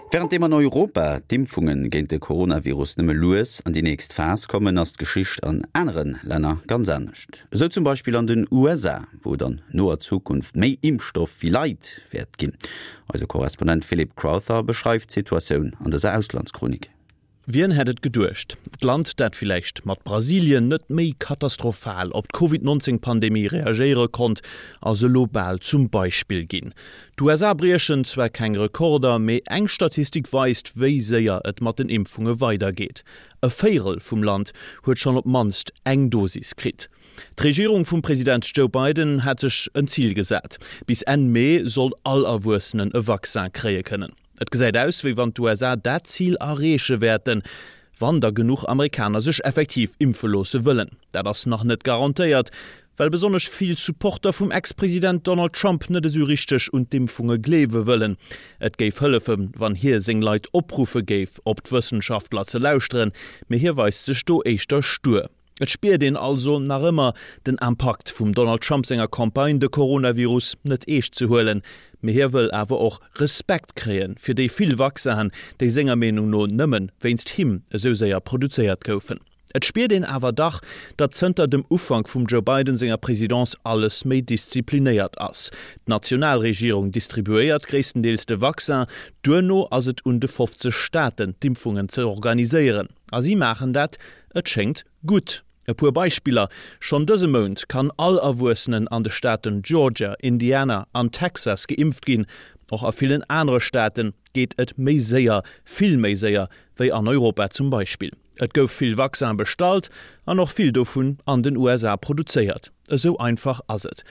Wärenddeem an Europa d'Impfunge géint de Coronavirus nëmme lues an déi nächst Phas kommen, ass d'Geschicht an anere Länner ganz anescht. Esou zum Beispill an den USA, wou et an noer Zukunft méi Impfstoff wéi Leit wäert ginn. Eise Korrespondent Philip Crowther beschreift d'Situatioun an dëser Auslandschronik. Wien hätt et geduecht? D'Land, dat villäicht mat Brasilien net méi katastrophal op d'Covid 19 Pandemie reagéiere konnt, ass elo bal zum Beispill ginn. D'USA briechen zwar keng Rekorder, mee eng Statistik weist, wéi séier et mat den Impfunge weidergeet. E Véierel vum Land huet schonn op d'mannst eng Dosis kritt. D'Regierung vum President Joe Biden hat sech en Zil gesat, Bis Enn Mee soll all Erwuessenen e Vaccin kréie kënnen. Et gesäit aus, wéi wann d'USA dat Zil erreeche wäerten, wann da genuch Amerikaner sech effektiv impfe loosse wëllen. Dat ass nach net garantéiert, well besonnesch vill Supporter vum Ex-President Donald Trump net esou richteg un d'Impfunge gleewe wëllen. Et géif hëllefen, wann hie seng Leit opruffe géif, op d'Wëssenschaftler ze lauschteren, mee hie weist sech do éischter stuer. Et spiert een also nach ëmmer den Impakt vum Donald Trump senger Campagne, de Coronavirus net eescht ze huelen. Mee hie wëll awer och Respekt kréie fir déi vill Vaccinen, déi senger Meenung no nëmme wéinst him esou séier produzéiert goufen. Et spiert een awer dach, datt zënter dem Ufank vum Joe Biden senger Presidence alles méi disziplinéiert ass. D'Nationalregierung distribuéiert gréisstendeels de Vaccin, duerno ass et un de 50 Staaten d'Impfungen ze organiséieren. A si maachen dat Et schéngt gutt. E puer Beispiller, Schonn dëse Mount kann all Erwuessenen an de Staaten Georgia, Indiana an Texas geimpft ginn. Och a villen anere Staate geet et méi séier, vill méi séier wéi an Europa zum Beispill. Et gouf vill Vaccin bestallt an och vill dovun an den USA produzéiert. Esou einfach ass et.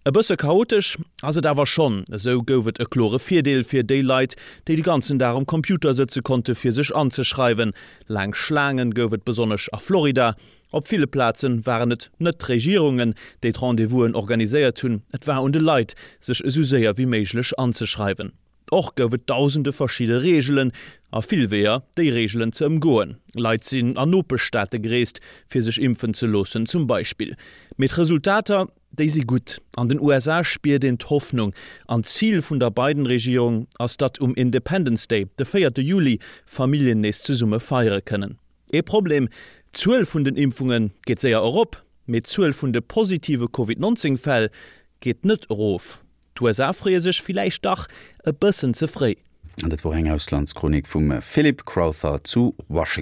E bësse chaotesch ass et awer schonn. Esou gouf et e klore Virdeel fir déi Leit, déi de ganzen Dag um Computer sëtze konnte fir sech anzeschreiwen. Laang Schlaange gouf et besonnesch a Florida. Op ville Plaze waren et net d'Regierungen, déi d'Rendez-vousen organiséiert hunn, et war un de Leit, sech esou séier wéi méiglech anzeschreiwen. Och gouf et dausende verschidde Reegelen a vill Weeër, déi Reegelen ze ëmgoen. Leit sinn an Nopeschstaate gereest, fir sech impfen ze loossen zum Beispill. Mee d'Resultater, déi si gutt. An den USA spiert een d'Hoffnung. An d'Zil vun der Biden-Regierung ass, datt um Independence Day, de véierte Juli, Familljen nees zesumme feiere kënnen. Ee Problem, D'Zuel vun den Impfunge geet séier erop, mee d'Zuel vun de positive Covid 19 Fäll geet net erof. D'USA freeë sech villäicht dach e bëssen ze fréi. An dat wor eng Auslandschronik vum Philip Crowther zu Washington.